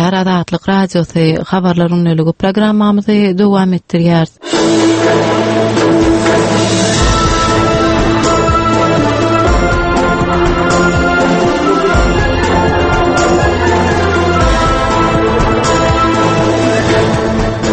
diňleýär Azatlyk Radiosy Habarlar gündeligi programmamyzy dowam etdirýäris.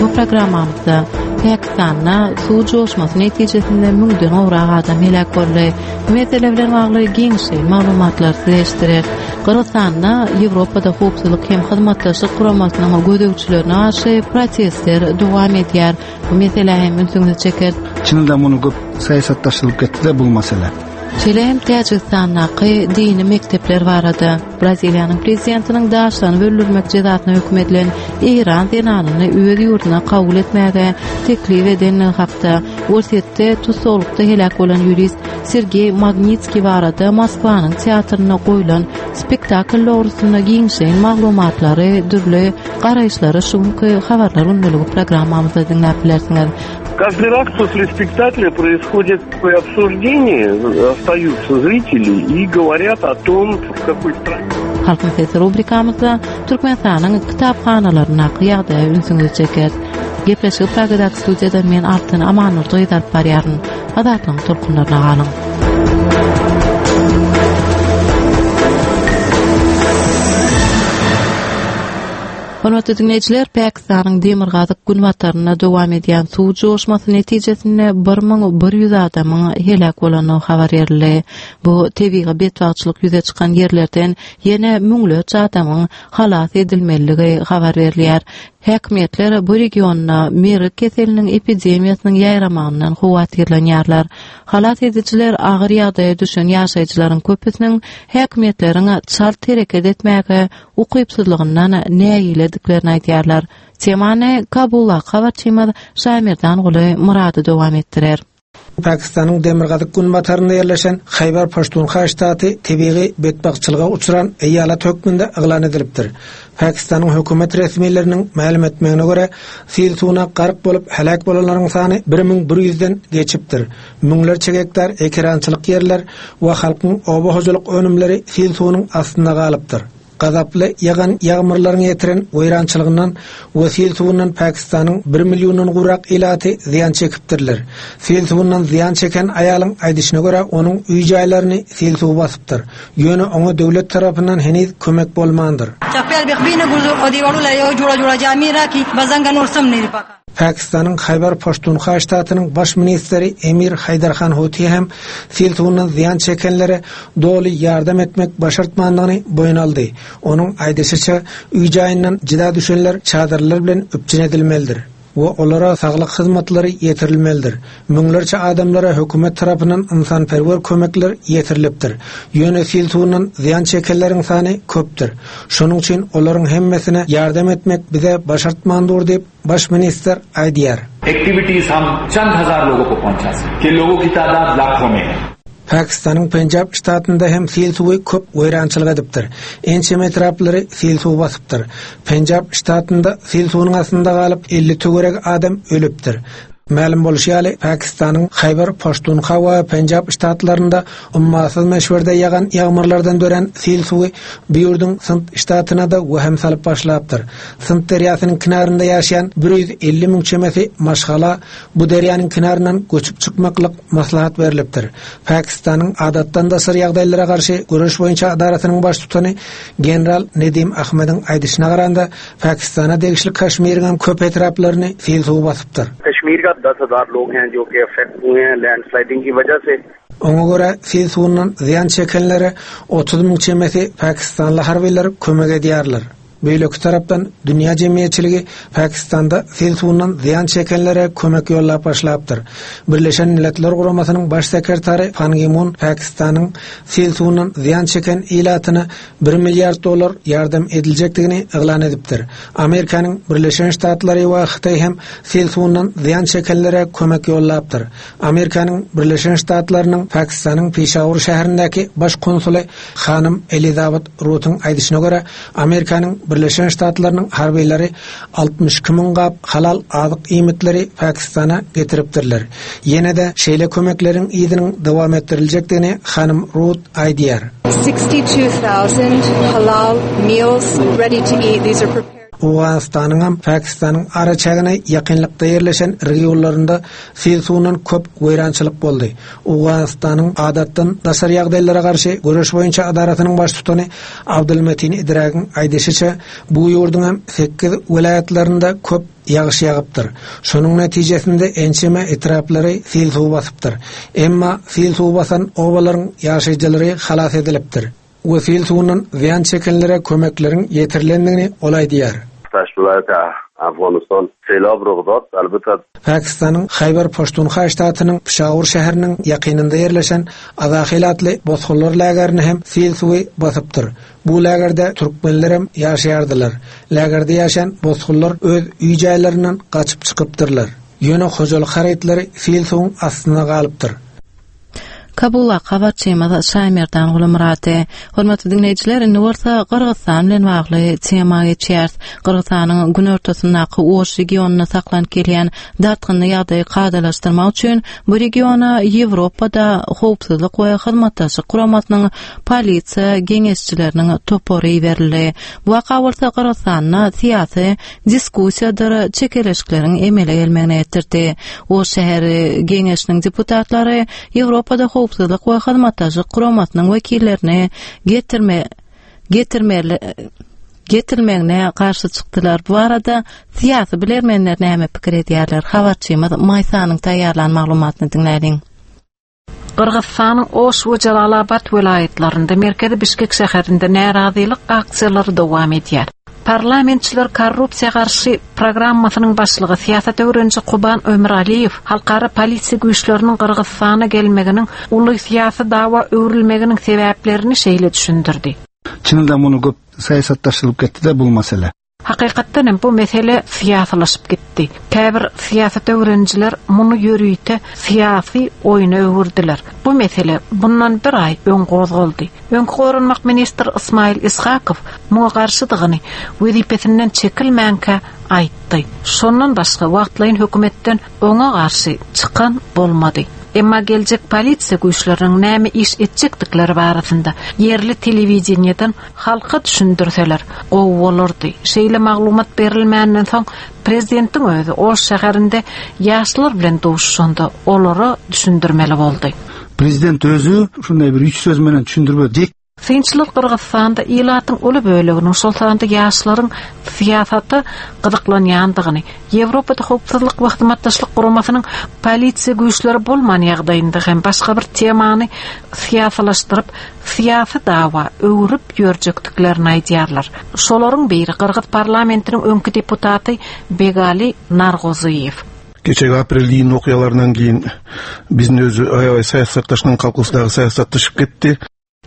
Bu programmamyzda Pakistanda suw joşmasy netijesinde müňden gowrak adam heläk boldy. Bu mesele bilen bagly giňişleýin maglumatlary size eşitdireris. Gyrgyzystanda Ýewropada Howpsuzlyk hem Hyzmatdaşlyk Guramasynyň gözegçilerine garşy protestler dowam edýär. Bu meselä hem ünsüňizi çekeris. Çynynda muny köp syýasatlaşdyrylyp gitdi-de bu mesele. Şeýle hem Täjigistandaky dini mekdepler barada, Braziliýanyň prezidentiniň daşlanyp öldürmek jezasyna höküm edilen eýran zenanyny öz ýurduna kabul etmäge teklip edenligi hakda, Orsýetde tussaglykda heläk bolan ýurist Sergeý Magnitskiý barada Moskwanyň teatrynda goýlan spektakl dogrusynda giňişleýin maglumatlary, dürli garaýyşlary şu günki Habarlar gündeligi programmamyzda diňläp bilersiňiz. Каждый раз после спектакля происходит такое обсуждение, остаются зрители и говорят о том, в какой стране. Halkyň sesi rubrikamyzda Türkmenistanyň kitaphanalaryndaky ýagdaýa ünsüňizi çekeris. Gepleşigi Pragadaky studiýadan men Altyn Amannurdy gyz alyp barýaryn. Azatlygyň tolkunlaryna galyň. Hormatly diňleýjiler, Pakistanyň demirgazyk-günbatarynda dowam edýän suw joşmasy netijesinde 1100 adamyň heläk bolandygy habar berildi. Bu tebigy betbagtçylyk ýüze çykan ýerlerden ýene müňlerçe adamyň halas edilmelidigi habar berilýär. Häkimiýetler bu regionda mergi keseliniň epidemiýasynyň ýaýramagyndan howatyrlanýarlar. Halas edijiler agyr ýagdaýa düşen ýaşaýjylaryň köpüsiniň häkimiýetleriň çalt hereket etmäge ukypsyzlygyndan nägilediklerini aýdýarlar. Temany Kabuldaky habarçymyz Şaýmerdanguly Myrady dowam etdirer. Pakistanyň demirgazyk-günbatarynda ýerleşen Haýbar-Paştunha ştaty tebigy betbagtçylyga uçran eýalet hökmünde yglan edilipdir. Pakistanyň hökümet resmileriniň mälim etmegine görä, sil suwuna gark bolup heläk bolanlaryň sany 1100-den geçipdir. Müňlerçe gektar ekerançylyk ýerler we halkyň oba hojalyk önümleri sil suwunyň astynda galypdyr. Gazaply ýagan ýagmyrlaryň ýetiren weýrançylygyndan we sil suwundan Pakistanyň bir milliondan gowrak ilaty zyýan çekipdirler. Sil suwundan zyýan çeken aýalyň aýdyşyna görä, onuň öý-jaýlaryny sil suwy basypdyr. Ýöne oňa döwlet tarapyndan heniz kömek bolmandyr. Pakistanyň Haýbar Paştunha ştatynyň baş ministri Emir Haýdar Han Hoti hem sil suwundan zyýan çekenlere doly ýardam etmek başartmandygyny boýun aldy. Onuň aýdyşyça, öý-jaýyndan jyda düşenler çadyrlar bilen üpjün edilmelidir we olara saglyk hyzmatlary ýetirilmelidir. Müňlerçe adamlara hökümet tarapyndan ynsanperwer kömekler ýetirilipdir. Ýöne sil suwundan zyýan çekenleriň sany köpdür. Şonuň üçin olaryň hemmesine ýardam etmek bize başartman dur diýip, baş ministr aýdýar. Activities hum çand hazar logo ko pahunça sake logo ki tadat lakho mein hai. Pakistanyň Penjab ştatynda hem sil suwy köp weýrançylyk edipdir. Ençeme etraplary sil suwy basypdyr. Penjab ştatynda sil suwunyň astynda galyp, 50 töweregi adam ölüpdir. Mälim bolşy ýaly, Pakistanyň Haýbar Paştunha we Penjab ştatlarynda ummasyz möçberde ýagan ýagmyrlardan dörän sil suwy bu ýurduň Sindh ştatyna-da wehim salyp başlapdyr. Sindh derýasynyň kenarynda ýaşaýan 150 müň çemesi maşgala bu derýanyň kenaryndan göçüp çykmaklyk maslahat berlipdir. Pakistanyň Adatdan daşary ýagdaýlara garşy göreş boýunça edarasynyň baştutany general Nedim Ahmediň aýdyşyna garanda, Pakistana degişli Kaşmiriň hem köp etraplaryny sil suwy basypdyr. Kaşmir ka 10000 log hain jo ki affect hue hain landsliding ki wajah se. Oňa görä, sil suwundan zyýan çekenlere 30 müň çemesi pakistanly harbylar kömek edýärler. Beýleki tarapdan, dünýä jemgyýetçiligi Pakistanda sil suwundan zyýan çekenlere kömek ýollap başlapdyr. Birleşen Milletler Guramasynyň Baş sekretary Pan Gi Mun Pakistanyň sil suwundan zyýan çeken ilatyna bir milliard dollar ýardam ediljekdigini yglan edipdir. Amerikanyň Birleşen Ştatlary we Hytaý hem sil suwundan zyýan çekenlere kömek ýollapdyr. Amerikanyň Birleşen Ştatlarynyň Pakistanyň Pişawur şäherindäki baş konsuly hanym Elizabet Rutyň aýdyşyna görä, Amerikanyň Birleşen Ştatlarynyň harbylary 62 müň gap halal azyk iýmitleri Pakistana getiripdirler. Ýene-de şeýle kömekleriň yzynyň dowam etdiriljekdigini hanym Rut aýdýar. 62,000 halal meals ready to eat. These are prepared. Owganystanyňam Pakistanyň araçägine ýakynlykda ýerleşen regionlarynda sil suwundan köp weýrançylyk boldy. Owganystanyň Adatdan daşary ýagdaýlara garşy göreş boýunça edarasynyň baştutany Abdulmetin Idragyň aýdyşyça, bu ýurduňam sekiz welaýatlarynda köp ýagyş ýagypdyr. Şonuň netijesinde ençeme etraplary sil suwy basypdyr. Emma sil suwy basan obalaryň ýaşaýjylary halas edilipdir we sil suwundan zyýan çekenlere kömekleriň ýetirilendigini ol aýdýar. Pakistanyň Haýbar Paştunha ştatynyň Pişawur şäheriniň ýakynynda ýerleşen Azahil atly bosgunlar lagerini hem sil suwy basypdyr. Bu lagerde türkmenlerem ýaşaýardylar. Lagerde ýaşaýan bosgunlar öz öý-jaýlaryndan gaçyp çykypdyrlar. Ýöne hojalyk harytlary sil suwuň astynda galypdyr. Kabula habarçymyz Şaýmerdan Gulumyrady. Hormatly diňleýjiler, indi bolsa Gyrgyzystan bilen bagly tema geçýäris. Gyrgyzystanyň günortasyndaky Oş regionynda saklanyp gelýän dartgynly ýagdaýy kadalaşdyrmak üçin bu regiona Ýewropada Howpsuzlyk we Hyzmatdaşlyk Guramasynyň polisiýa geňeşçileriniň topary iberildi. Bu waka bolsa Gyrgyzystanda syýasy diskussiýadyr çekeleşikleriň emele gelmegine getirdi. Oş şäheri geňeşiniň deputatlary Ýewropada Howpsuzlyk we Hyzmatdaşlyk Guramasynyň wekillerini getirme getirmeli getirilmegine garşy çykdylar. Bu barada syýasy bilermenler näme pikir edýärler? Habarçymyz Maýsanyň taýýarlan maglumatyny diňläliň. Gyrgyzystanyň Oş we Jalalabat welaýatlarynda, merkezi Bişkek şäherinde närazylyk aksiýalary dowam edýär. Parlamentçiler korrupsiýa garşy programmasynyň başlygy, syýasat öwreniji Kuban Ömüraliýew halkara polisiýa güýçleriniň Gyrgyzystana gelmeginiň uly syýasy dawa öwrülmeginiň sebäplerini şeýle düşündirdi. Çynynda muny köp syýasatlaşdyrylyp ketdi-de bul mesele. Hakykatdan hem bu mesele syýasylaşyp gitdi. Käbir syýasat öwrenijiler muny ýörite syýasy oýna öwürdiler. Bu mesele bundan bir aý öň gozgaldy. Öňki goranmak ministri Ysmaýyl Ishakow muňa garşydygyny wezipesinden çekilmänkä aýtdy. Şondan başga wagtlaýyn hökümetden oňa garşy çykan bolmady. Emma geljek polisiýa güýçleriniň näme iş etjekdikleri barasynda ýerli telewideniýeden halka düşündirseler gowy bolardy. Şeýle maglumat berilmänden soň prezidentiň özi Oş şäherinde ýaşlar bilen duşuşanda olara düşündirmeli boldy. Prezident özi şunday bir üç söz menen düşündirip ötdi. Synçylar Gyrgyzystanda ilatyň uly böleginiň, şol sanda ýaşlaryň syýasata gyzyklanýandygyny, Ýewropada Howpsuzlyk we Hyzmatdaşlyk Guramasynyň polisiýa güýçleri bolman ýagdaýynda hem başga bir temany syýasylaşdyryp, syýasy dawa öwrüp ýörjekdiklerini aýdýarlar. Şolaryň biri gyrgyz parlamentiniň öňki deputaty Begali Nargozyýew. Кечеги апрель июнь окуяларынан кийин биздин өзү аябай саясатташкан калкыбыз дагы саясатташып кетти.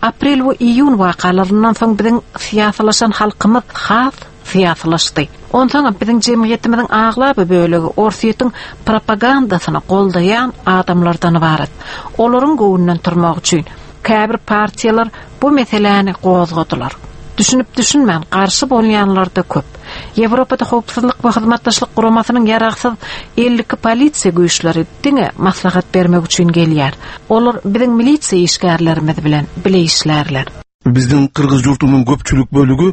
Aprel we iýun wakalaryndan soň biziň syýasylaşan halkymyz has syýasylaşdy. Onsoňam biziň jemgyýetimiziň aglaba bölegi Orsýetiň propagandasyny goldaýan adamlardan ybarat. Olaryň göwnünden turmak üçin käbir partiýalar bu meseläni gozgadylar. Düşünip-düşünmän garşy bolýanlar-da köp. Ýewropada Howpsuzlyk we Hyzmatdaşlyk Guramasynyň ýaragsyz 52 polisiýa güýçleri diňe maslahat bermek üçin gelýär. Olar biziň milisiýa işgärlerimiz bilen bile işlärler. Biziň gyrgyz ýurdunyň köpçülik bölügi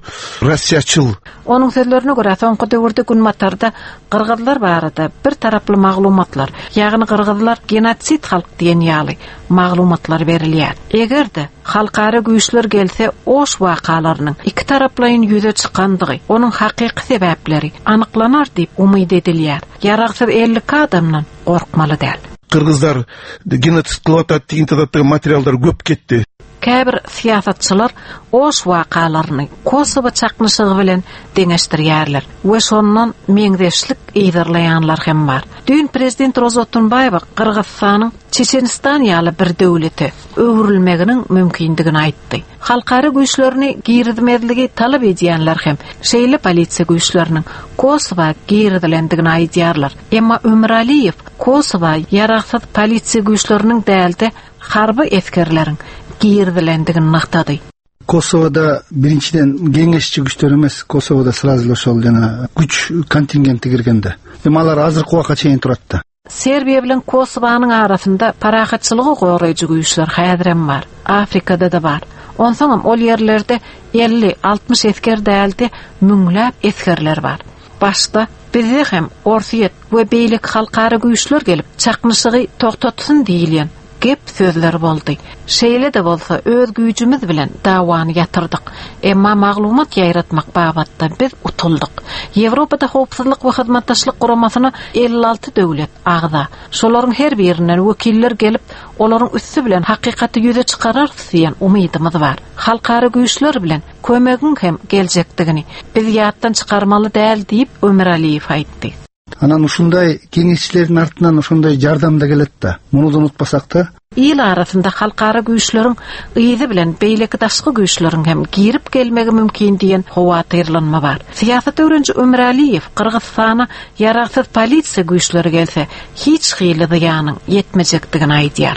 rossiýaçyl. Onuň sözlerine görä, soňky döwürde Günbatarda gyrgyzlar barada bir taraply maglumatlar, ýagny gyrgyzlar genosid halk diýen ýaly maglumatlar berilýär. Eger-de, halkara güýçler gelse Oş wakalarynyň ikitaraplaýyn ýüze çykandygy, onuň hakyky sebäpleri anyklanar diýip umyt edilýär. Ýaragsyz 52 adamdan gorkmaly däl. Gyrgyzlar genosid kylyp atat diýen zatda materiallar köp ketdi. Käbir syýasatçylar Oş wakalaryny Kosowo çaknyşygy bilen deňeşdirýärler we şondan meňzeşlik yzarlaýanlar hem bar. Düýn prezident Roza Otunbaýewa Gyrgyzystanyň Çeçenistan ýaly bir döwlete öwrülmeginiň mümkindigini aýtdy. Halkara güýçlerini girizmezligi talap edýänler hem şeýle polisiýa güýçleriniň Kosowa girizilendigini aýdýarlar. Emma Ömüraliýew Kosowa ýaragsyz polisiýa güýçleriniň däl-de, harby esgerleriň girizilendigini nygtady. Kosowada birinjiden geňeşçi güýçler emes, Kosowada srazu elе ошол жана күч контингенти кирген да. Эми алар азыркы убакка чейин турат да. Serbiýa bilen Kosowanyň arasynda parahatçylygy goraýjy güýçler häzirem bar. Afrikada-da bar. Onsoňam ol ýerlerde 50, 60 esger däl-de, müňläp esgerler bar. Başda bizde hem Orsýet we beýleki halkara güýçler gelip, çaknyşygy togtatsyn diýilýän gep sözler boldy. Şeýle-de bolsa öz güýjümiz bilen dawany ýatyrdyk. Emma maglumat ýaýratmak babatda biz utuldyk. Ýewropada Howpsuzlyk we Hyzmatdaşlyk Guramasyna 56 döwlet agza. Şolaryň her birinden wekiller gelip, olaryň üsti bilen hakykaty ýüze çykararys diýen umydymyz bar. Halkara güýçler bilen kömegiň hem geljekdigini biz ýatdan çykarmaly däl diýip, Ömüraliýew aýtdy. Анан ушундай кеңешчилердин артынан ошондой жардам да келет да. Муну да унутпасак да. Il arasynda halkara güýçleriň yzy bilen beýleki daşky güýçleriň hem girip gelmegi mümkin diýen howatyrlanma bar. Syýasat öwreniji Ömüraliýew Gyrgyzystana ýaragsyz polisiýa güýçleri gelse, hiç hili zyýanyň ýetmejekdigini aýdýar.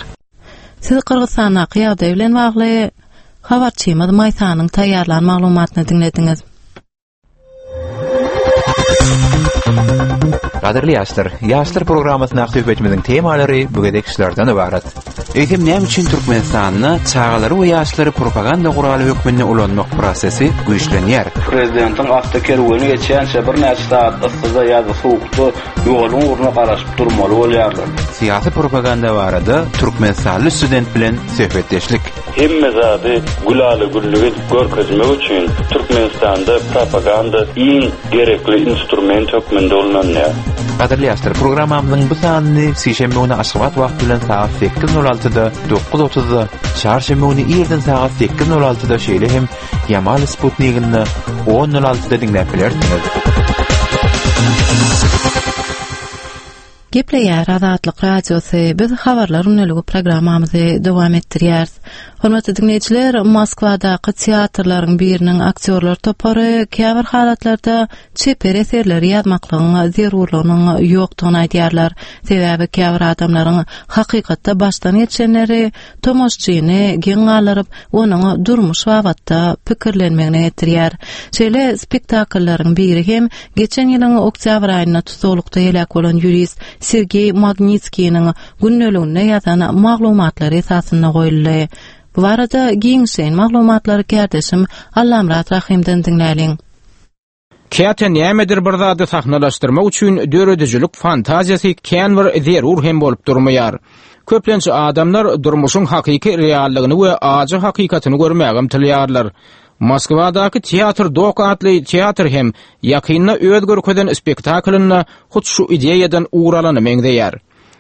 Siz Gyrgyzystandaky ýagdaý bilen bagly habarçymyz Maýsanyň taýýarlan maglumatyny diňlediňiz. Gadyrly ýaşlar, Ýaşlar programmasyndaky söhbetimiziň temalary bu gezek şulardan ybarat. Eýsem näme üçin Türkmenistanda çagalary we ýaşlary propaganda guraly hökmünde ulanmak prosesi güýçlenýär? Prezidentiň awtokerweni geçýänçä birnäçe sagat yssyda ýa-da sowukda ýoluň ugruna garaşyp durmaly bolýarlar. Syýasy propaganda barada türkmenistanly student bilen söhbetdeşlik. Hemme zady gülala-güllük edip görkezmek üçin Türkmenistanda propaganda iň gerekli instrument hökmünde ullanylýar. Gadyrly ýaşlar, programmamyzyň bu sanyny sişenbe güni Aşgabat wagty bilen sagat sekiz nol altyda, dokuz otuzda, çarşenbe güni irden sagat sekiz nol altyda şeýle hem Ýamal sputniginde on nol altyda diňläp bilersiňiz. Gepleýär Azatlyk Radiosy, biz Habarlar gündeligi programmamyzy dowam etdirýäris. Hormatly diňleýjiler, Moskwadaky teatrlaryň biriniň aktýorlar topary käbir halatlarda çeper eserleri ýazmaklygyň zerurlygynyň ýokdugyny aýdýarlar. Sebäbi käbir adamlaryň hakykatda başdan geçenleri tomaşçyny geň galdyryp, onuň durmuş babatda pikirlenmegine getirýär. Şeýle spektakllaryň biri hem geçen ýylyň oktýabr aýynda tussaglykda heläk bolan ýurist Sergeý Magnitskiniň gündeliginde ýazan maglumatlary esasynda goýuldy. Bu barada giňişleýin maglumatlary kärdeşim Allamyrat Rahymdan diňläliň. Käte nämedir bir zady sahnalaşdyrmak üçin döredijilik fantaziýasy kän bir zerur hem bolup durmaýar. Köplenç adamlar durmuşyň hakyky reallygyny we ajy hakykatyny görmäge ymtylýarlar. Moskwadaky Teatr Dok atly teatr hem ýakynda öz görkezen spektaklynda hut şu ideýadan ugur alana meňzeýär.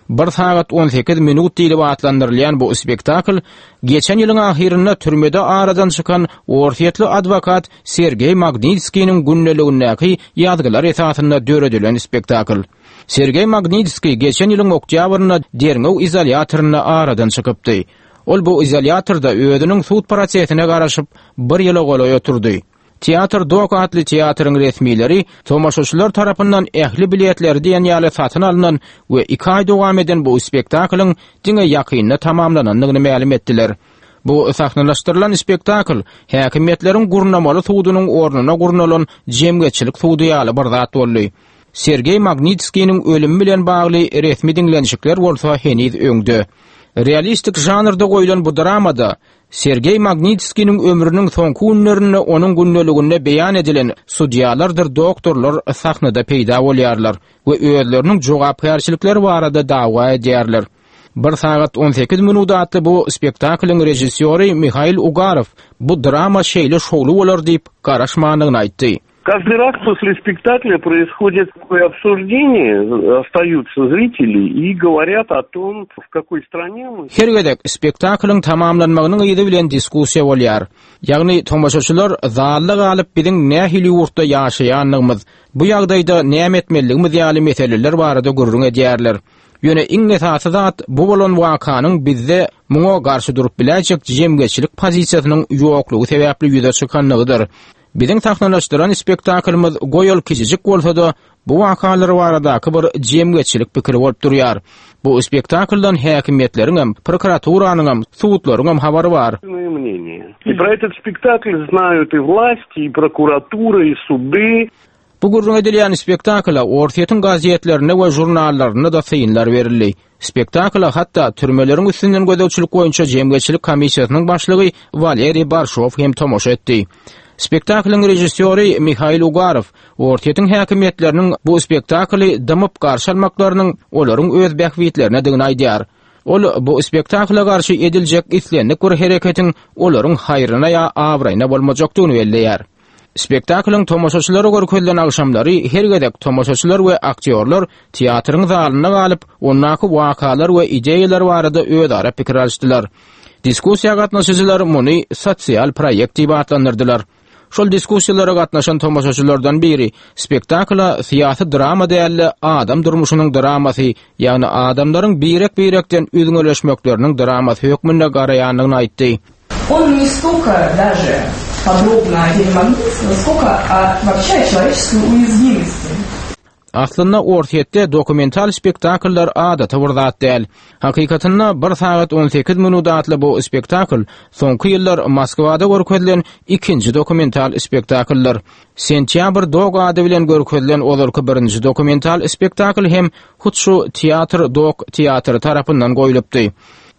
Bir sagat 18 minut diýlip atlandyrylýan bu spektakl geçen ýylyň ahyrynda türmede aradan çykan orsýetli adwokat Sergeý Magnitskiniň gündeligindäki ýazgylar esasynda döredilen spektakl. Sergeý Magnitskiý geçen ýylyň oktýabrynda derňew izolýatorynda aradan çykypdy. Ol bu izolýatorda özüniň sud prosesine garaşyp, bir ýyla golaý oturdy. Teatr Dok atly teatryň resmileri tomaşaçylar tarapyndan ähli biletleri diýen ýaly satyn alnan we iki aý dowam eden bu spektaklyň diňe ýakynda tamamlanandygyny mälim etdiler. Bu sahnalaşdyrylan spektakl häkimiýetleriň gurnamaly sudunyň ornuna gurnalan jemgyýetçilik sudy ýaly bir zat boldy. Sergeý Magnitskiniň ölümi bilen bagly resmi diňlenişikler bolsa heniz öňde. Realistik žanrda goýlan bu dramada Sergeý Magnitskiniň ömrüniň soňky günlerinde onuň gündeliginde beýan edilen sudýalardyr doktorlar sahnada peýda bolýarlar we özleriniň jogapkärçilikleri barada dawa edýärler. Bir sagat 18 minut atly bu spektaklyň režissýory Mihail Ugarow bu drama şeýle şowly bolar diýip garaşmandygyny aýtdy. Каждый раз после спектакля происходит такое обсуждение, остаются зрители и говорят о том, в какой стране мы. Her gezek spektaklyň tamamlanmagynyň yzy bilen diskussiýa bolýar. Ýagny tomaşaçylar zalda galyp biziň nähili ýurtda ýaşaýandygymyz, bu ýagdaýda näme etmelidigimiz ýaly meseleler barada gürrüň edýärler. Ýöne iň esasy zat bu bolan wakanyň bizde muňa garşy durup biläýjek jemgyýetçilik pozisiýasynyň ýoklugy sebäpli ýüze çykanlygydyr. Biziň sahnalaşdyran spektaklymyz goý ol kiçijik bolsa-da, bu wakalar baradaky bir jemgyýetçilik pikiri bolup durýar. Bu spektakldan häkimiýetleriňem, prokuraturanyňam, sudlaryňam habary bar. И про этот спектакль знают и власти, и прокуратура, и суды. Bu gürrüň edilýän spektakla Orsýetiň gazetlerinde we žurnallarynda-da synlar berildi. Spektakla hatda türmeleriň üstünden gözegçilik boýunça jemgyýetçilik komissiýasynyň başlygy Waleriý Barşow hem tomaşa etdi. Spektaklyň režissýory Mihail Ugarow Orsýetiň häkimiýetleriniň bu spektakly dymyp garşy almaklarynyň olaryň öz bähbitlerinedigini aýdýar. Ol bu spektakla garşy ediljek islendik bir hereketiň olaryň haýryna ýa abraýyna bolmajakdygyny belleýär. Spektaklyň tomaşaçylara görkezilen agşamlary her gezek tomaşaçylar we aktýorlar teatryň zalynda galyp, ondaky wakalar we ideýalar barada özara pikir alyşdylar. Diskussiýa gatnaşyjylar muny sosial proýekt diýip atlandyrdylar. Şol diskussiýalara gatnaşan tomaşaçylardan biri spektakla syýasy drama däl-de, adam durmuşynyň dramasy, ýagny adamlaryň birek-birekden üzňeleşmekleriniň dramasy hökmünde garaýandygyny aýtdy. On ne stolko daže podrobno o dele Magnitskogo, skolko o woobşe o çeloweçeskoý uýazwimosti. Aslynda Orsýetde dokumental spektakllar adaty bir zat däl. Hakykatynda Bir sagat on sekiz minut atly bu spektakl soňky ýyllar Moskwada görkezilen ikinji dokumental spektakldyr. Sentýabr dog ady bilen görkezilen ozalky birinji dokumental spektakl hem hut şu Teatr dok teatry tarapyndan goýlupdy.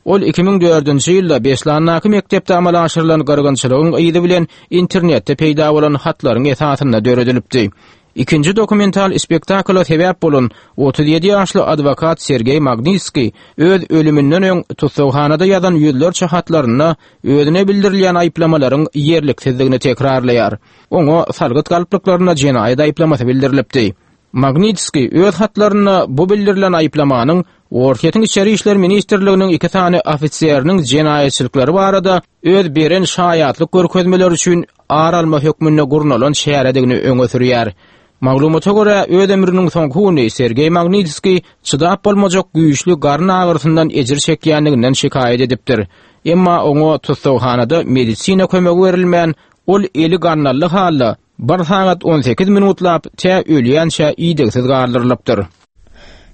Ol 2004-nji ýylda Beslandaky mekdepde amala aşyrylan gyrgynçylygyň yzy bilen internetde peýda bolan hatlaryň esasynda döredilipdi. Ikinji dokumental spektakla sebäp bolan 37 ýaşly adwokat Sergeý Magnitskiý öz ölüminden öň tussaghanada ýazan ýüzlerçe hatlarynda özüne bildirilýän aýyplamalaryň ýerliksizdigini tekrarlaýar. Oňa salgyt galplyklarynda jenaýat aýyplamasy bildirilipdi. Magnitskiý öz hatlarynda bu bildirilen aýyplamanyň Orsýetiň Içeri işler ministrliginiň iki sany ofiseriniň jenaýatçylyklary barada öz beren şaýatlyk görkezmeleri üçin ar alma hökmünde gurnalan çäredigini öňe sürýär. Maglumata görä, öz ömrüniň soňky güni Sergeý Magnitskiý çydap bolmajak güýçli garyn agyrysyndan ejir çekýändiginden şikaýat edipdir. Emma oňa tussaghanada medisina kömegi berilmän, ol eli gandally halda Bir sagat on sekiz minutlap, tä ölýänçä idegsiz galdyrylypdyr.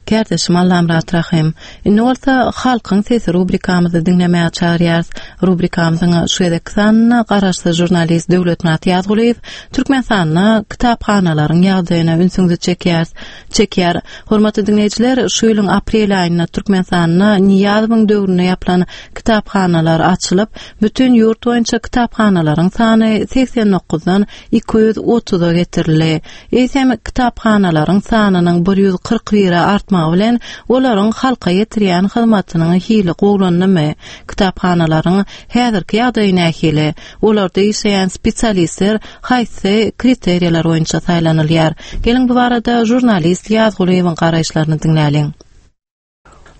Kärdeşim Allamyrat Rahym. Indi bolsa Halkyň sesi rubrikamyzy diňlemäge çagyrýarys. Rubrikamyzyň şu gezekki sanynda garaşsyz žurnalist Döwletmyrat Ýazgulyýew Türkmenistanda kitaphanalaryň ýagdaýyna ünsüňizi çekýäris. Çekýär. Hormatly diňleýjiler, şu ýylyň aprel aýynda Türkmenistanda Nyýazowyň döwründe ýapylan kitaphanalar açylyp, bütin ýurt boýunça kitaphanalaryň sany 89-dan 230-a getirildi. Eýsem, kitaphanalaryň sanynyň 141-e artmagy bilen olaryň halka ýetirýän hyzmatynyň hili gowulandymy? Kitaphanalaryň häzirki ýagdaýy nähili? Olarda işleýän spesialistler haýsy kriteriýalar boýunça saýlanylýar? Geliň bu barada žurnalist Ýazgulyýewiň garaýyşlaryny diňläliň.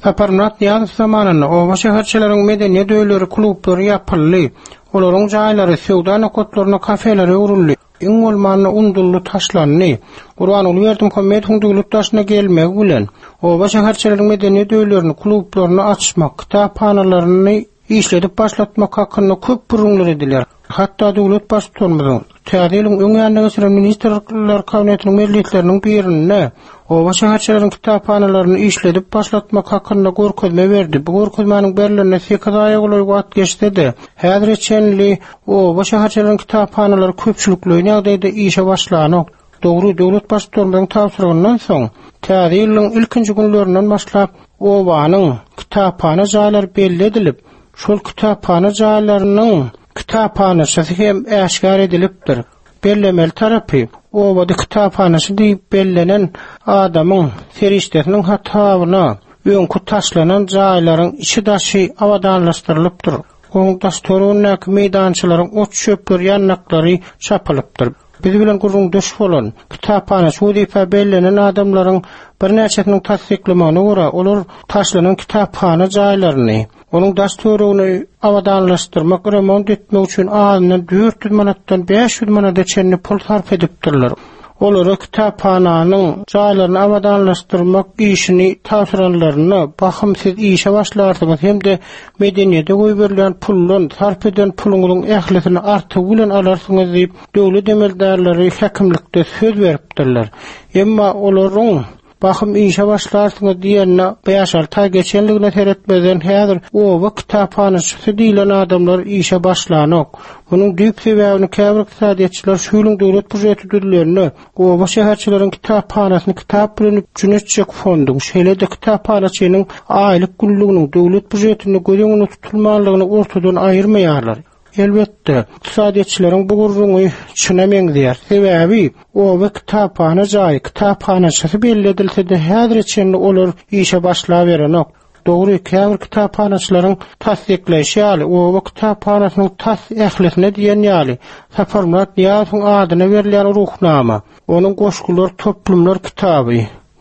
Saparmyrat Nyýazow zamanynda oba-şäherçeleriň medeniýet öýleri, klublary ýapyldy. Olaryň jaýlary söwda nokatlaryna, kafelere öwrüldi. Iň bolmanda unduldy, taşlandy. Gurbanguly Berdimuhamedowyň döwlet başyna gelmegi bilen, oba-şäherçeleriň medeniýet öýlerini, klublaryny açmak, kitaphanalaryny işledip başlatmak hakynda köp gürrüňler edilýär. Hatda döwlet Baştutanymyzyň Täze ýylyň öň ýanynda geçiren Ministrler Kabinetiniň mejlisleriniň birinde oba-şäherçeleriň kitaphanalaryny işledip başlatmak hakynda görkezme berdi. Bu görkezmäniň berlenine sekiz aýa golaý wagt geçse-de, häzire çenli oba-şäherçeleriň kitaphanalary köpçülikleýin ýagdaýda işe başlanok. Dogry, döwlet Baştutanymyzyň tabşyrygyndan soň, Täze ýylyň ilkinji günlerinden başlap, obanyň kitaphana jaýlary belli edilip, şol kitaphana jaýlarynyň kitaphanaçysy hem äşgär edilipdir. Bellemeli tarapy, obada kitaphanaçy diýip bellenen adamyň serişdesiniň hasabyna öňki taşlanan jaýlaryň içi-daşy abadanlaşdyrylypdyr, onuň daş-töweregindäki meýdançalaryň ot-çöpleri, ýandaklary çapylypdyr. Biz bilen gürrüňdeş bolan, kitaphanaçy wezipä bellenen adamlaryň birnäçesiniň tassyklamagyna görä, olar taşlanan kitaphana jaýlaryny, onuň daş-töweregini abadanlaşdyrmak, remont etmek üçin azyndan 400 manatdan 500 manada çenli pul sarp edipdirler. Olara kitaphananyň jaýlaryny abadanlaşdyrmak işini tabşyranlarynda, bahym siz işe başlarsyňyz hem-de medeniýete goýberilýän puldan sarp eden puluňyzyň ählisini artygy bilen alarsyňyz diýip, döwlet emeldarlary häkimlikde söz beripdirler. Emma olaryň. Bahym işe başlarsyňyz diýenine bäş-alty aý geçenligine seretmezden häzir oba kitaphanaçysy diýlen adamlar işe başlanok. Munuň düýp sebäbini käbir ykdysadyýetçiler şu ýylyň döwlet býujeti düzülende oba şäherçeleriň kitaphanasyny kitap bilen üpjün etjek fonduň, şeýle-de kitaphanaçynyň aýlyk günlüginiň döwlet býujetinde göz öňünde tutulmanlygyny ortadan aýyrmaýarlar. Elbetde, ykdysadyýetçileriň bu gürrüňi çyna meňzeýär. Sebäbi, oba kitaphana jaýy, kitaphanaçysy belli edilse-de, häzire çenli olar işe başlaberenok. Dogry, käbir kitaphanaçylaryň tassyklaýşy ýaly, oba kitaphanasynyň tas ählisine diýen ýaly Saparmyrat Nyýazowyň adyna berilýän Ruhnama, onuň goşgular toplumlar kitaby,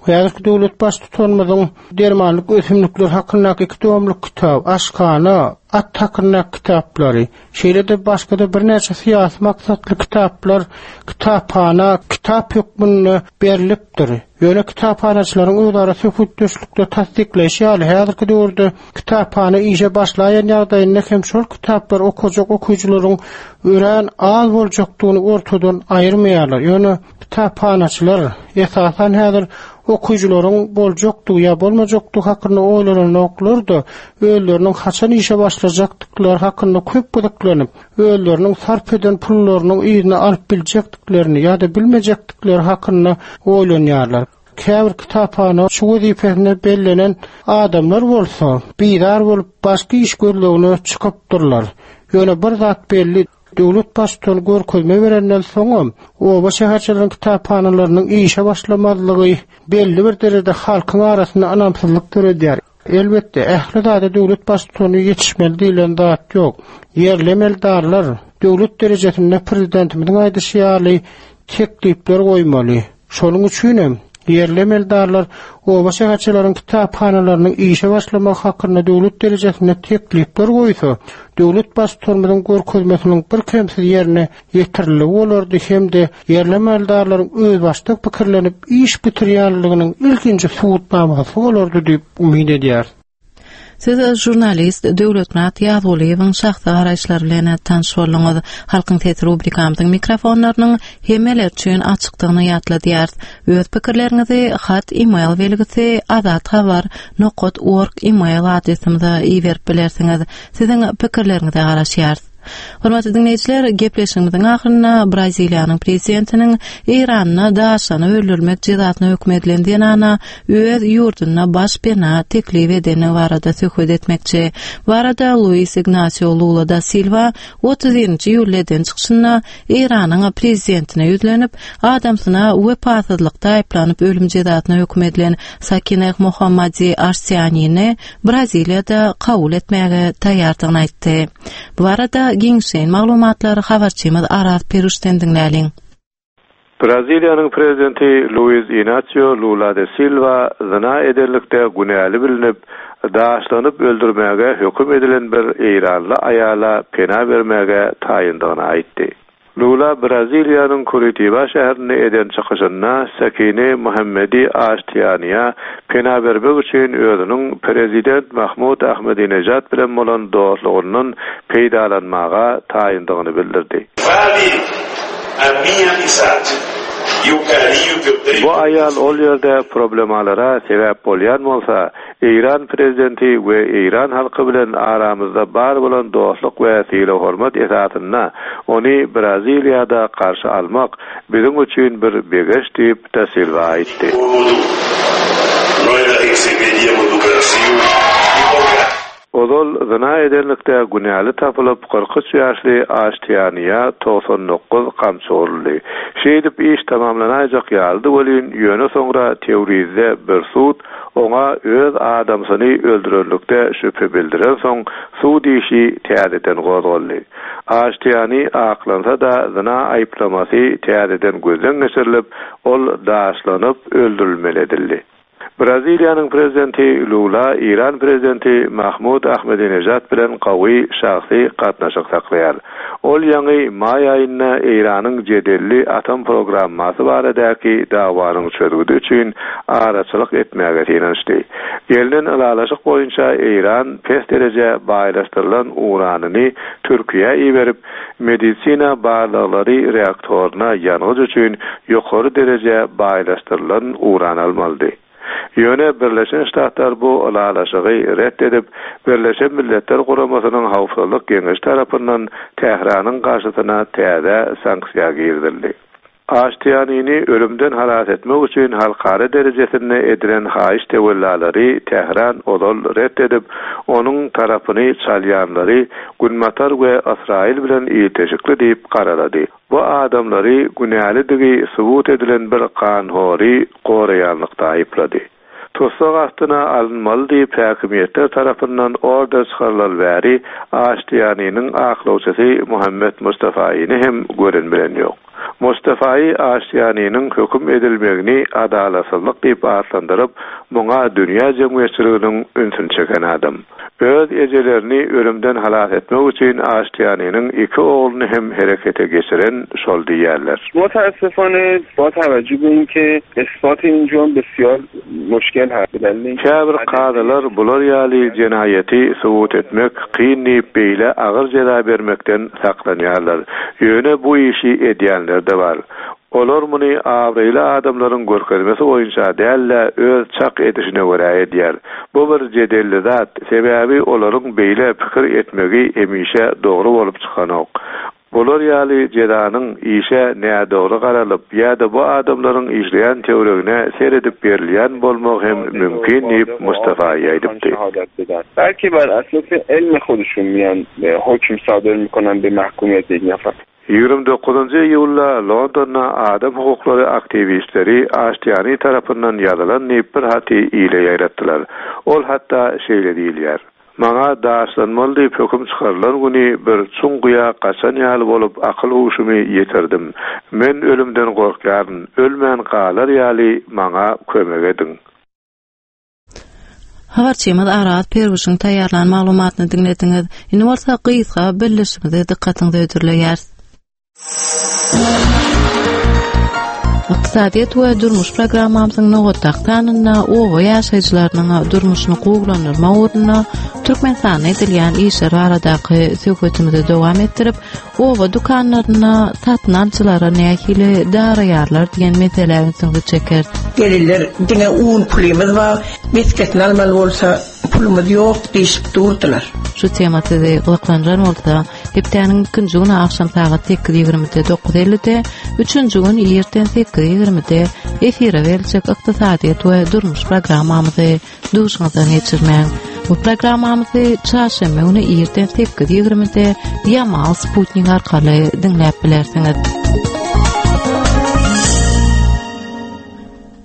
Häzirki döwlet Baştutanymyzyň dermanlyk ösümlikler hakyndaky iki tomluk kitaby, aşhana, at hakyndaky kitaplary, şeýle-de başga-da birnäçe syýasy maksatly kitaplar kitaphana kitap hökmünde berlipdir. Ýöne kitaphanaçylaryň özara söhbetdeşlikde tassyklaýşy ýaly, häzirki döwürde kitaphana işe başlaýan ýagdaýynda hem şol kitaplary okajak okyjylaryň örän az boljakdygyny ortadan aýyrmaýarlar. Ýöne Kitaphanaçylar, esasan häzir okyjylaryň boljakdygy ýa bolmajakdygy hakynda oýlananoklar-da, özleriniň haçan işe başlajakdyklary hakynda köp gyzyklanyp, özleriniň sarp eden pullarynyň yzyny alyp biljekdiklerini ýa-da bilmejekdikleri hakynda oýlanýarlar. Käbir kitaphanaçy wezipesine bellenen adamlar bolsa, bizar bolup, başga iş gözlegine çykypdyrlar. Ýöne bir zat belli, Döwlet Baştutany görkezme berenden soňam, oba-şäherçeleriň kitaphanalarynyň işe başlamazlygy belli bir derejede halkyň arasynda ynamsyzlyk döredýär. Elbetde, ähli zada döwlet Baştutany ýetişmeli diýlen zat ýok. Ýerli emeldarlar döwlet derejesinde prezidentimiziň aýdyşy ýaly teklipler goýmaly. Şonuň üçin hem, ýerli emeldarlar oba-şäherçeleriň kitaphanalarynyň işe başlamagy hakynda döwlet derejesinde teklipler goýsa, döwlet Baştutanymyzyň görkezmesiniň birkemsiz ýerine ýetiriligi bolardy hem-de ýerli emeldarlaryň özbaşdak pikirlenip iş bitirýänliginiň ilkinji subutnamasy bolardy diýip umyt edýäris. Siz žurnalist Döwletmyrat Ýazgulyýewiň şahsy garaýyşlary bilen tanyş bolduňyz. Halkyň sesi rubrikamyzyň mikrofonlarynyň hemmeler üçin açykdygyny ýatladýarys. Öz pikirleriňizi hat e-mail belgisi azathabar nokat org e-mail adresimize iberip bilersiňiz. Siziň pikirleriňize garaşýarys. Hormatly diňleýjiler, gepleşigimiziň ahyrynda Braziliýanyň prezidentiniň Eýranda daşlanyp öldürilmek jezasyna höküm edilen zenana öz ýurdunda baş pena teklip edendigi barada söhbet etmekçi. Bu barada Luis Ignasio Lula da Silwa 31-nji iýulda eden çykyşynda Eýranyň prezidentine ýüzlenip, adamsyna wepasyzlykda aýyplanyp ölüm jezasyna höküm edilen Sakineh Mohammadi Aştianini Braziliýada kabul etmäge taýýardygyny aýtdy. Bu barada giňişleýin maglumatlary habarçymyz Araz Peruşden diňläliň. Braziliýanyň prezidenti Luiz Inasio Lula de Silwa zyna edenlikde günäli bilnip, daşlanyp öldürmäge höküm edilen bir eýranly aýala pena bermäge taýyndygyny aýtdy. Lula Braziliýanyň Kuritiba şäherinde eden çykyşynda Sakine Muhammedi Aştiýaniýa pena bermek üçin özüniň prezident Mahmud Ahmedinejad bilen bolan dostlugyndan peýdalanmaga taýyndygyny bildirdi. Bu aýal ol ýerde problemalara sebäp bolýan bolsa, Eýran prezidenti we eýran halky bilen aramyzda bar bolan dostluk we sylag-hormat esasynda ony Braziliýada garşy almak biziň üçin bir begenç diýip, da Silwa aýtdy. Ozal zyna edenlikde günäli tapylyp, 43 ýaşly Aştiýaniýa 99 gamçy uruldy. Şeýdip iş tamamlanaýjak ýalydy welin, ýöne soňra Tewrizde bir sud oňa öz adamsyny öldürenlikde şübhe bildirensoň, sud işi täzeden gozgaldy. Aştiýani aklansa-da, zyna aýyplamasy täzeden gözden geçirilip, ol daşlanyp öldürilmeli edildi. Braziliýanyň prezidenti Lula Eýran prezidenti Mahmud Ahmedinejad bilen gawy şahsy gatnaşyk saklaýar. Ol ýaňy maý aýynda Eýranyň jedelli atom programmasy baradaky dawanyň çözgüdi üçin araçylyk etmäge synanyşdy. Gelnen ylalaşyk boýunça Eýran pes dereje baýlaşdyrylan uranyny Türkiýä iberip, Medisina barlaglary reaktoryna ýangyç üçin ýokary dereje baýlaşdyrylan uran almalydy. Ýöne Birleşen Ştatlar bu ylalaşygy ret edip, Birleşen Milletler Guramasynyň Howpsuzlyk Geňeşi tarapyndan Tähranyň garşysyna täze sanksiýa girizildi. Aştiýanini ölümden halas etmek üçin halkara derejesinde edilen haýyş-töwellalary Tähran ozal ret edip, onuň tarapyny çalýanlary Günbatar we Ysraýyl bilen ilteşikli diýip garalady. Bu adamlary günälidigi subut edilen bir ganhory goraýanlykda aýyplady. Tussag astyna alynmaly diýip häkimiýetler tarapyndan order çykarylaly bäri Aştiýaniniň aklawçysy Muhammet Mustafaýyny hem gören-bilen ýok. Mustafaýy Aştiýaniniň höküm edilmegini adalatsyzlyk diýip atlandyryp, muňa dünýä jemgyýetçiliginiň ünsüni çeken adam. Öz ejelerini ölümden halas etmek üçin Aştiýaniniň iki ogluny hem herekete geçiren şol diýýärler. Mutaassifane ba tawajjuh be inke isbat in jurm besiýar muşkel hast be dalil inke Käbir kazylar bular ýaly jenaýaty subut etmek kyn diýip beýle agyr jeza bermekden saklanýarlar. Ýöne bu işi edýänler-de bar. Olar muny abraýly adamlaryň görkezmesi boýunça däl-de, öz çak edişine görä edýär. Bu bir jedelli zat, sebäbi olaryň beýle pikir etmegi hemişe dogry bolup çykanok. Bular ýaly jezanyň işe nädogry garalyp ýa-da bu adamlaryň işleýän töweregine seredip berilýän bolmagy hem mümkin diýip, Mustafaýy aýdypdy. Belki bar asasy elmi hoduşun miýan hokm sadyr mikonan be mahkumiyet ýek nafar. 29 iýulda Londonda adam hukuklary aktiwistleri Aştiýani tarapyndan ýazylan diýip bir haty ile ýaýratdylar. Ol hatda şeýle diýilýär, Maňa daşlanmaly diýip höküm çykarylan güni bir çuň guýa gaçan ýaly bolup akyl-huşumy ýitirdim. Men ölümden gorkýaryn, ölmän galar ýaly maňa kömek ediň. Habarçymyz Araz Perwişiň taýýarlan maglumatyny diňlediňiz. Indi bolsa gysga bildirişimizi dykgatyňyza hödürleýäris. Ykdysadyýet we durmuş programmamyzyň nobatdaky sanynda oba ýaşaýjylarynyň durmuşyny gowulandyrmak ugrunda Türkmenistanda edilýän işler baradaky söhbetimizi dowam etdirip, Oba dükanlarynda satyn alyjylara nähili daraýarlar diýen meselä ünsüňizi çekeris. Gelinler diňe un pulymyz bar, mesgesini almaly bolsa pulumyz ýok diýşip durdular. Şu tema sizi gyzyklandyran bolsa, hepdäniň ikinji güni agşam sagat 8:20-de 9:50-de, üçünji gün irden 8:20-de efire beriljek ykdysadyýet we durmuş programmamyzy Duşuňyzdan geçirmäň. Bu programmamyzy çarşenbe güni irden 8:20-de Yamal Sputnik arkaly diňläp bilersiňiz.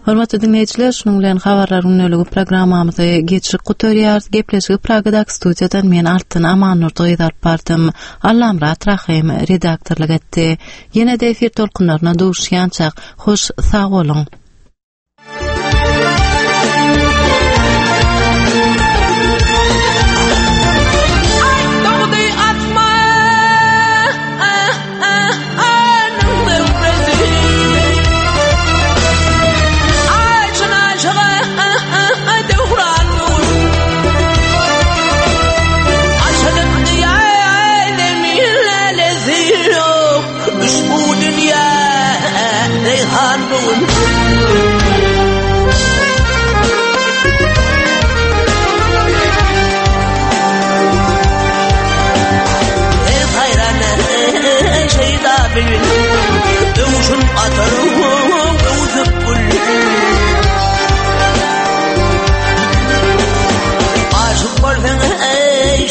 Hormatly diňleýjiler, şunuň bilen habarlar gündeligi programmamyzy geçirip gutarýarys. Gepleşigi Pragadaky studiýadan men Altyn Amannurdy gyz alyp bardym. Allamyrat Rahym redaktorlyk etdi. Ýene-de efir tolkunlaryna duşýançak, hoş sag boluň.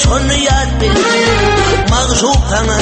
Şony ýat bil, magşuk saňa.